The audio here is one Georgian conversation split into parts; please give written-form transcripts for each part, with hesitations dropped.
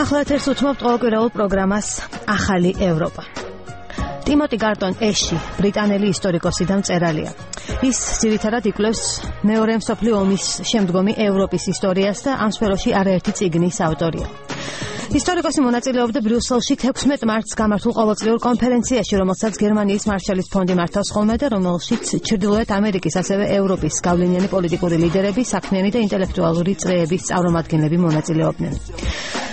ახლა ეთერს უთმობთ ყოველკვირეულ პროგრამას ახალი ევროპა. ტიმოტი გარტონ ეში, ბრიტანელი ისტორიკოსი და მწერალია. ის ძირითადად იკვლევს მეორე მსოფლიო ომის შემდგომი ევროპის ისტორიას და ამ სფეროში არაერთი წიგნის ავტორია. ისტორიკოსი მონაწილეობდა ბრიუსელში 16 მარტს გამართულ ყოველწლიურ კონფერენციაში, რომელსაც გერმანიის მარშალის ფონდი მართავს ხოლმე და რომელშიც ჩრდილოეთ ამერიკის ასევე ევროპის გავლენიანი პოლიტიკური ლიდერები, საქმიანი და ინტელექტუალური წრეების წარმომადგენლები მონაწილეობდნენ.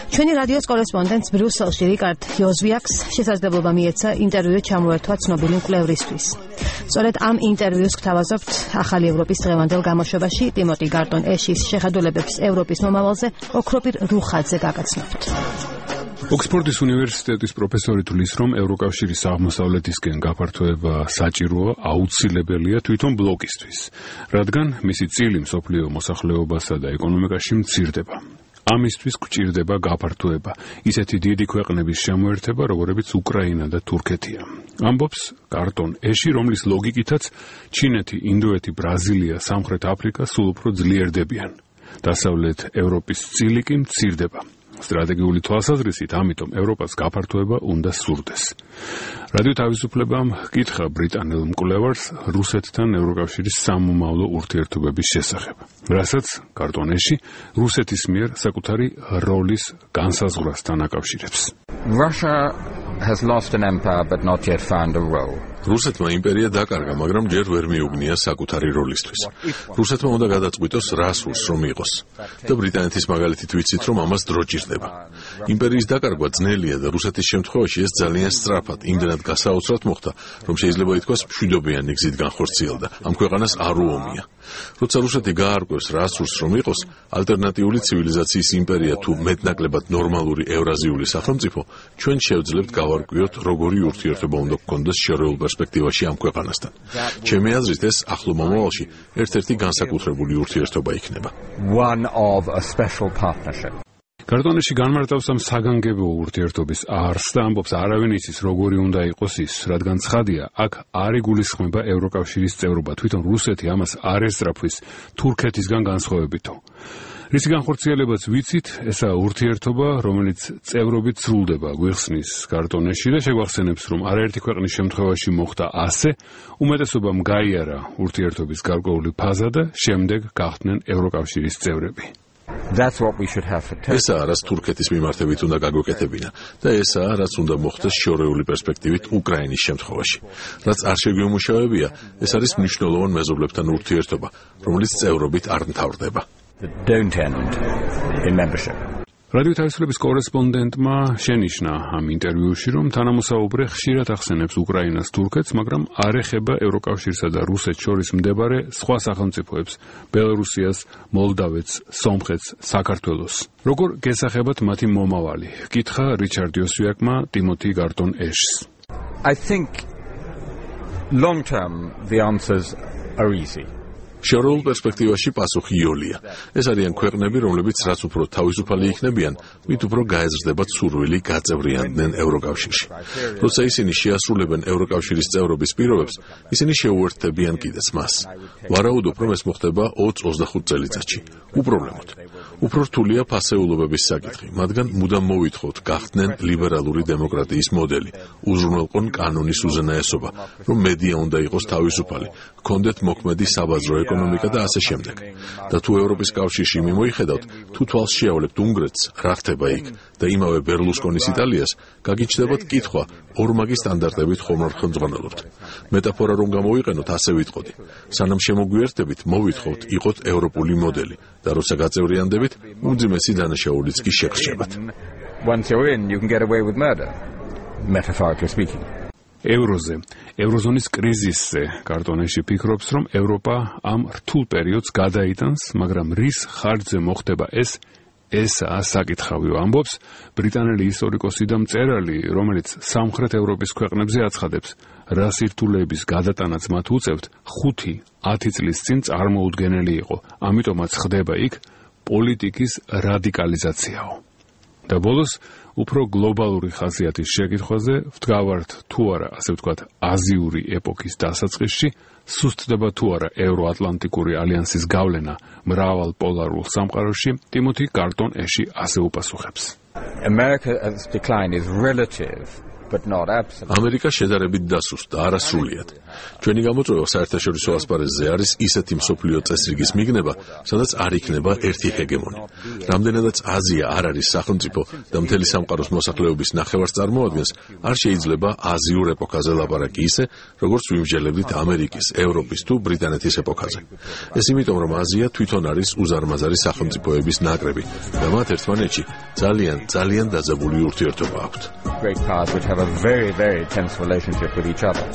ჩვენი რადიოს კორესპონდენტს ბრიუსელში რიკარდ იოზვიაკს შესაძლებლობა მიეცა ინტერვიუ ჩამოერთვა ცნობილი მკვლევრისთვის. სწორედ ამ ინტერვიუს გთავაზობთ ახალი ევროპის დღევანდელ გამოშვებაში ტიმოტი გარტონ ეშის შეხედულებებს ევროპის მომავალზე ოქროპირ რუხაძე გაგაცნობთ. ოქსფორდის უნივერსიტეტის პროფესორი თვლის, რომ ევროკავშირის აღმოსავლეთისკენ გაფართოება საჭიროა, აუცილებელია თვითონ ბლოკისთვის, რადგან მისი წილი მსოფლიო მოსახლეობასა და ეკონომიკაში მცირდება. ამისთვის გვჭირდება გაფართოება, ისეთი დიდი ქვეყნების შემოერთება, როგორებიც უკრაინა და თურქეთია. ამბობს გარტონ ეში, რომლის ლოგიკითაც ჩინეთი, ინდოეთი, ბრაზილია, სამხრეთ აფრიკა სულ უფრო ძლიერდებიან. დასავლეთ ევროპის წილი კი მცირდება. სტრატეგიული თვალსაზრისით, ამიტომ ევროპას გაფართოება უნდა სურდეს. რადიო თავისუფლებამ ჰკითხა ბრიტანელ მკვლევარს რუსეთთან ევროკავშირის სამომავლო ურთიერთობების შესახებ, რასაც გარტონ ეში რუსეთის მიერ საკუთარი როლის განსაზღვრასთან აკავშირებს. Russia has lost an empire but not yet found a role. რუსეთმა იმპერია დაკარგა, მაგრამ ჯერ ვერ მიუგნია საკუთარი როლისთვის. რუსეთმა უნდა გადაწყვიტოს რა სურს რომ იყოს. და ბრიტანეთის მაგალითით ვიცით, რომ ამას დრო ჭირდება. იმპერიის დაკარგვა ძნელია და რუსეთის შემთხვევაში ეს ძალიან სწრაფად, იმდენად გასაოცრად მოხდა, რომ შეიძლება ითქვას მშვიდობიანი გზით განხორციელდა. ამ ქვეყანას არ უომია. როცა რუსეთი გაარკვევს რა სურს რომ იყოს, ალტერნატიული ცივილიზაციის იმპერია თუ მეტნაკლებად ნორმალური ევრაზიული სახელმწიფო, ჩვენ შევძლებთ გავარკვიოთ, როგორი ურთიერთობა უნდა გქონდეს შორეულ პერსპექტივაში ამ ქვეყანასთან. ჩემი აზრით, ეს ახლო მომავალში ერთ-ერთი განსაკუთრებული ურთიერთობა იქნება. One of a special partnership. გარტონ ეში განმარტავს ამ საგანგებო ურთიერთობის არსს და ამბობს, არავინ იცის, როგორი უნდა იყოს ის, რადგან ცხადია, აქ არ იგულისხმება ევროკავშირის წევრობა, თვითონ რუსეთი ამას არ ესწრაფვის თურქეთისგან განსხვავებითო. რისი განხორციელებაც ვიცით, ესაა ურთიერთობა, რომელიც წევრობით სრულდება, გვიხსნის გარტონ ეში და შეგვახსენებს, რომ არაერთი ქვეყნის შემთხვევაში მოხდა ასე, უმეტესობამ გაიარა ურთიერთობის გარკვეული ფაზა და შემდეგ გახდნენ ევროკავშირის წევრები. That's what we should have for Turkey. ესაა, რაც თურქეთის მიმართებით უნდა გაგვეკეთებინა და ესაა, რაც უნდა მოხდეს შორეული პერსპექტივით უკრაინის შემთხვევაში. რაც არ შეგვიმუშავებია, ეს არის მნიშვნელოვან მეზობლებთან ურთიერთობა, რომელიც წევრობით არ მთავრდება. Don't end in membership. რადიო თავისუფლების კორესპონდენტმა შენიშნა ამ ინტერვიუში, რომ თანამოსაუბრე ხშირად ახსენებს უკრაინას, თურქეთს, მაგრამ არ ეხება ევროკავშირსა და რუსეთს შორის მდებარე სხვა სახელმწიფოებს, ბელორუსიას, მოლდავეთს, სომხეთს, საქართველოს. როგორ გესახებათ მათი მომავალი? ჰკითხა რიჩარდ იოსვიაკმა ტიმოტი გარტონ ეშს. I think long term the answers are easy. შორეულ პერსპექტივაში პასუხი იოლია. ეს არიან ქვეყნები, რომლებიც რაც უფრო თავისუფალი იქნებიან, მით უფრო გაეზრდებათ სურვილი გაწევრიანდნენ ევროკავშირში. როცა ისინი შეასრულებენ ევროკავშირის წევრობის პირობებს, ისინი შეუერთდებიან კიდეც მას. ვარაუდობ, რომ ეს მოხდება 20-25 წელიწადში. უპრობლემოდ. უფრო რთულია ფასეულობების საკითხი, მათგან მუდამ მოვითხოვთ გახდნენ ლიბერალური დემოკრატიის მოდელი, უზრუნველყონ კანონის უზენაესობა, რომ მედია უნდა იყოს თავისუფალი, ჰქონდეთ მოქმედი საბაზრო ეკონომიკა და ასე შემდეგ. და თუ ევროპის კავშირში მიმოიხედავთ, თუ თვალს შეავლებთ უნგრეთს, რა ხდება იქ და იმავე ბერლუსკონის იტალიას, გაგიჩნდებათ კითხვა, ორმაგი სტანდარტებით ხომ არ ხელმძღვანელობთ. მეტაფორა რომ გამოვიყენოთ, ასე ვიტყოდი. სანამ შემოგვიერთდებით, მოვითხოვთ იყოთ ევროპული მოდელი და როცა გაწევრიანდებით, უმძიმესი დანაშაულიც კი შეგრჩებათ. Once you're in, you can get away with murder, metaphorically speaking. ევროზე, ევროზონის კრიზისზე გარტონ ეში ფიქრობს, რომ ევროპა ამ რთულ პერიოდს გადაიტანს, მაგრამ რის ხარჯზე მოხდება ესაა საკითხავი, ამბობს ბრიტანელი ისტორიკოსი და მწერალი, რომელიც სამხრეთ ევროპის ქვეყნებზე აცხადებს, რა სირთულეების გადატანაც მათ უწევთ 5-10 წლის წინ წარმოუდგენელი იყო, ამიტომაც ხდება იქ პოლიტიკის რადიკალიზაციაო. და ბოლოს უფრო გლობალური ხასიათის შეკითხვაზე ვდგავართ თუ არა, ასე ვთქვათ, აზიური ეპოქის დასაწყისში, სუსტდება თუ არა ევროატლანტიკური ალიანსის გავლენა მრავალ პოლარულ სამყაროში, ტიმოთი კარტონ-ეში ასე უპასუხებს. America's decline is relative, but not absolute. ამერიკა შედარებით დასუსტდა, არა სრულიად. ჩვენი გამოწვევა საერთაშორისო ასპარეზზე არის ისეთი მსოფლიო წესრიგის მიგნება, სადაც არ იქნება ერთი ჰეგემონი. რამდენადაც აზია არ არის სახელმწიფო და მთელი სამყაროს მოსახლეობის ნახევარს წარმოადგენს, არ შეიძლება აზიურ ეპოქაზე ლაპარაკი ისე, როგორც ვიმსჯელებდით ამერიკის, ევროპის თუ ბრიტანეთის ეპოქაზე. ეს იმიტომ, რომ აზია თვითონ არის უზარმაზარი სახელმწიფოების ნაკრები და მათ ერთმანეთში ძალიან დაძაბული ურთიერთობა აქვთ. Great powers which have a very, very tense relationship with each other.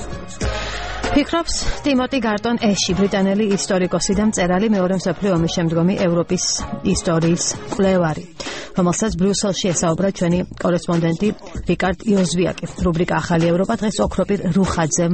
ფიქრობს ტიმოთი კარტონ-ეში, ბრიტანელი ისტორიკოსი და მწერალი, მეორე მსოფლიო ომის შემდგომი ევროპის ისტორიის მკვლევარი, რომელსაც ბრიუსელში ესაუბრა ჩვენი კორესპონდენტი რიკარდ იოზვიაკი. რუბრიკა ახალი ევროპა დღეს ოქროპირ რუხაძემ